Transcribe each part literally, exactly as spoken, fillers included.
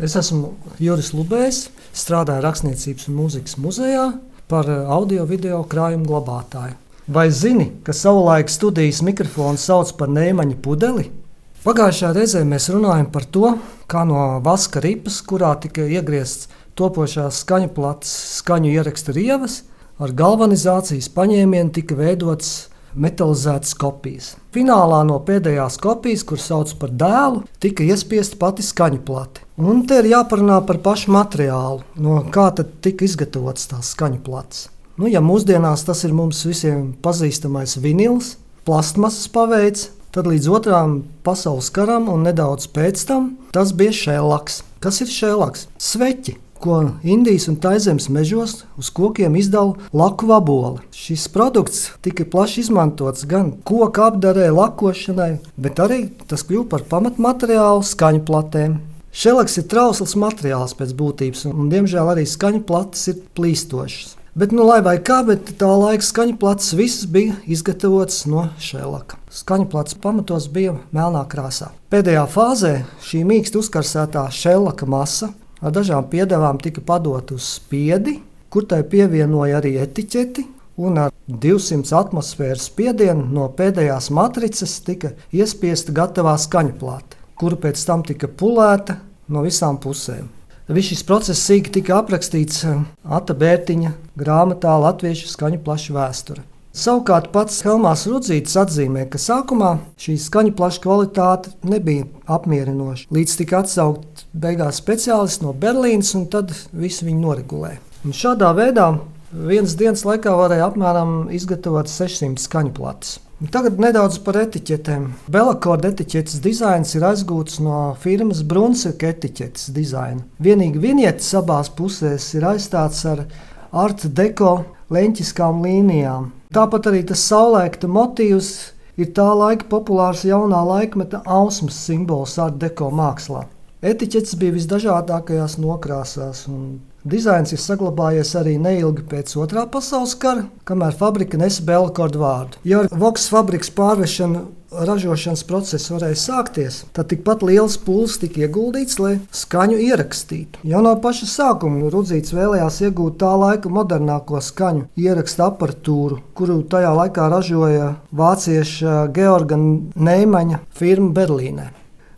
Es esmu Juris Lubējs, strādāju Rakstniecības un mūzikas muzejā par audio-video krājumu glabātāju. Vai zini, ka savulaik studijas mikrofonu sauc par Neimaņa pudeli? Pagājušā reizē mēs runājam par to, kā no vaska ripas, kurā tika iegriezts topošās skaņu plates, skaņu ieraksta rievas, ar galvanizācijas paņēmienu tika veidotas metalizētas kopijas. Finālā no pēdējās kopijas, kur sauc par dēlu, tika iespiesta pati skaņu plate. Un te ir jāparunā par pašu materiālu, no kā tad tika izgatavotas tās skaņu plates. Nu, ja mūsdienās tas ir mums visiem pazīstamais vinils, plastmasas paveids, tad līdz otrām pasaules karam un nedaudz pēc tam tas bija šellaks. Kas ir šellaks? Sveķi, ko Indijas un Taizemes mežos uz kokiem izdala laku vaboli. Šis produkts tika plaši izmantots gan koku apdarē, lakošanai, bet arī tas kļuva par pamatmateriālu skaņu platēm. Šellaks ir trausls materiāls pēc būtības, un, un diemžēl arī skaņu plates ir plīstošas. Bet, nu, lai vai kā, bet tā laika skaņu plates visas bija izgatavotas no šellaka. Skaņu plates pamatos bija melnā krāsā. Pēdējā fāzē šī mīksti uzkarsētā šellaka masa ar dažām piedevām tika padota uz spiedi, kur tai pievienoja arī etiķeti, un ar divsimt atmosfēras spiedienu no pēdējās matricas tika iespiesta gatavā skaņu plate, kura pēc tam tika pulēta no visām pusēm. Viss šis process sīki tika aprakstīts Ata Bērtiņa grāmatā Latviešu skaņu plašu vēsture. Savukārt pats Helmārs Rudzītis atzīmē, ka sākumā šī skaņu plaša kvalitāte nebija apmierinoša, līdz tika atsaukt beigās speciālisti no Berlīnes, un tad visi viņu noregulēja. Un šādā veidā vienas dienas laikā varēja apmēram izgatavot sešsimt skaņu plates. Tagad nedaudz par etiķetēm. Belakorda etiķetes dizains ir aizgūts no firmas Brunsvika etiķetes dizaina. Vienīgi vinietes abās pusēs ir aizstāts ar art deko leņķiskām līnijām. Tāpat arī tas saulēkta motīvs ir tā laika populārs jaunā laikmeta ausmas simbols art deko mākslā. Etiķetes bija visdažādākajās nokrāsās, un dizains ir saglabājies arī neilgi pēc otrā pasaules kara, kamēr fabrika nesa Belakorda vārdu. Ja ar Voks fabrikas pārvešanu ražošanas process varēja sākties, tad tikpat liels pūles tika ieguldīts, lai skaņu ierakstītu. Jau no paša sākuma Rudzītis vēlējās iegūt tā laika modernāko skaņu ieraksta aparatūru, kuru tajā laikā ražoja vācieša Georga Neimaņa firma Berlīnē.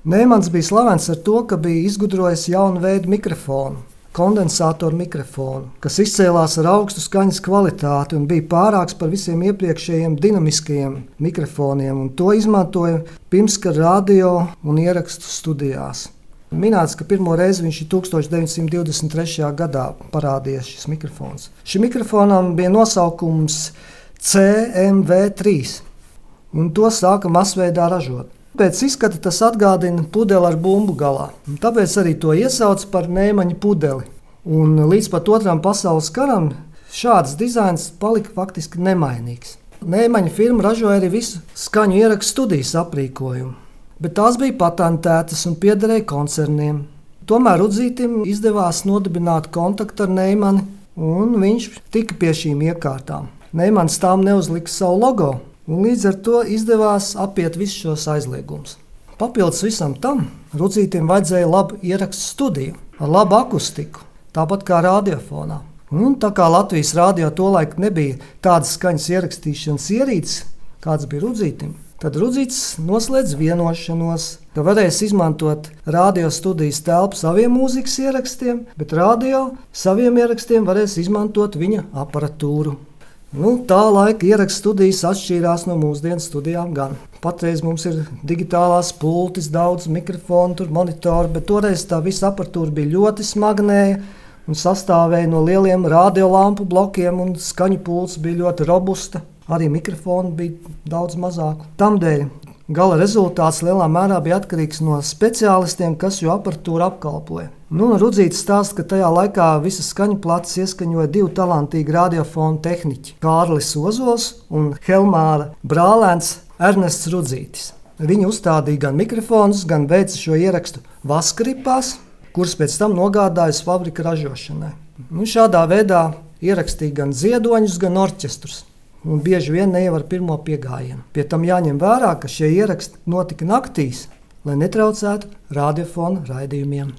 Neimans bija slavens ar to, ka bija izgudrojis jaunu veidu mikrofonu, kondensātoru mikrofonu, kas izcēlās ar augstu skaņas kvalitāti un bija pārāks par visiem iepriekšējiem dinamiskajiem mikrofoniem, un to izmantoja pirmskara radio un ierakstu studijās. Minēts, ka pirmo reizi viņš ir tūkstoš deviņsimt divdesmit trešajā gadā parādījies šis mikrofons. Šim mikrofonam bija nosaukums C M V trīs, un to sāka masveidā ražot. Pēc izskata tas atgādina pudeli ar bumbu galā. Tāpēc arī to iesauc par Neimaņa pudeli. Un līdz pat otram pasaules karam šāds dizains palika faktiski nemainīgs. Neimaņa firma ražoja arī visu skaņu ierakstu studijas aprīkojumu, bet tās bija patentētas un piederēja koncerniem. Tomēr Rudzītim izdevās nodibināt kontaktu ar Neimani, un viņš tika pie šīm iekārtām. Neimans tām neuzlika savu logo, un līdz ar to izdevās apiet visus šos aizliegumus. Papildus visam tam Rudzītim vajadzēja labu ierakstu studiju ar labu akustiku, tāpat kā radiofonā. Un tā kā Latvijas radio tolaik nebija tādas skaņas ierakstīšanas ierīces, kāds bija Rudzītim, tad Rudzītis noslēdz vienošanos, ka varēs izmantot radio studijas telpu saviem mūzikas ierakstiem, bet radio saviem ierakstiem varēs izmantot viņa aparatūru. Nu, tā laika ierakstu studijas atšķīrās no mūsdienu studijām gan. Patreiz mums ir digitālās pultis, daudz mikrofonu, tur monitori, bet toreiz tā visa aparatūra bija ļoti smagnēja un sastāvēja no lieliem radiolampu blokiem, un skaņu pults bija ļoti robusta. Arī mikrofoni bija daudz mazāku. Tamdēļ gala rezultāts lielā mērā bija atkarīgs no speciālistiem, kas šo aparatūru apkalpoja. Nu, Rudzītis stāsta, ka tajā laikā visas skaņu plates ieskaņoja divi talantīgi radiofonu tehniķi – Kārlis Ozols un Helmāra brālēns Ernests Rudzītis. Viņi uzstādīja gan mikrofonus, gan veica šo ierakstu vaskaripās, kuras pēc tam nogādājas fabrika ražošanai. Nu, šādā veidā ierakstīja gan ziedoņus, gan orķestrus. Un bieži vien ne jau ar pirmo piegājienu. Pie tam jāņem vērā, ka šie ieraksti notika naktīs, lai netraucētu radiofonu raidījumiem.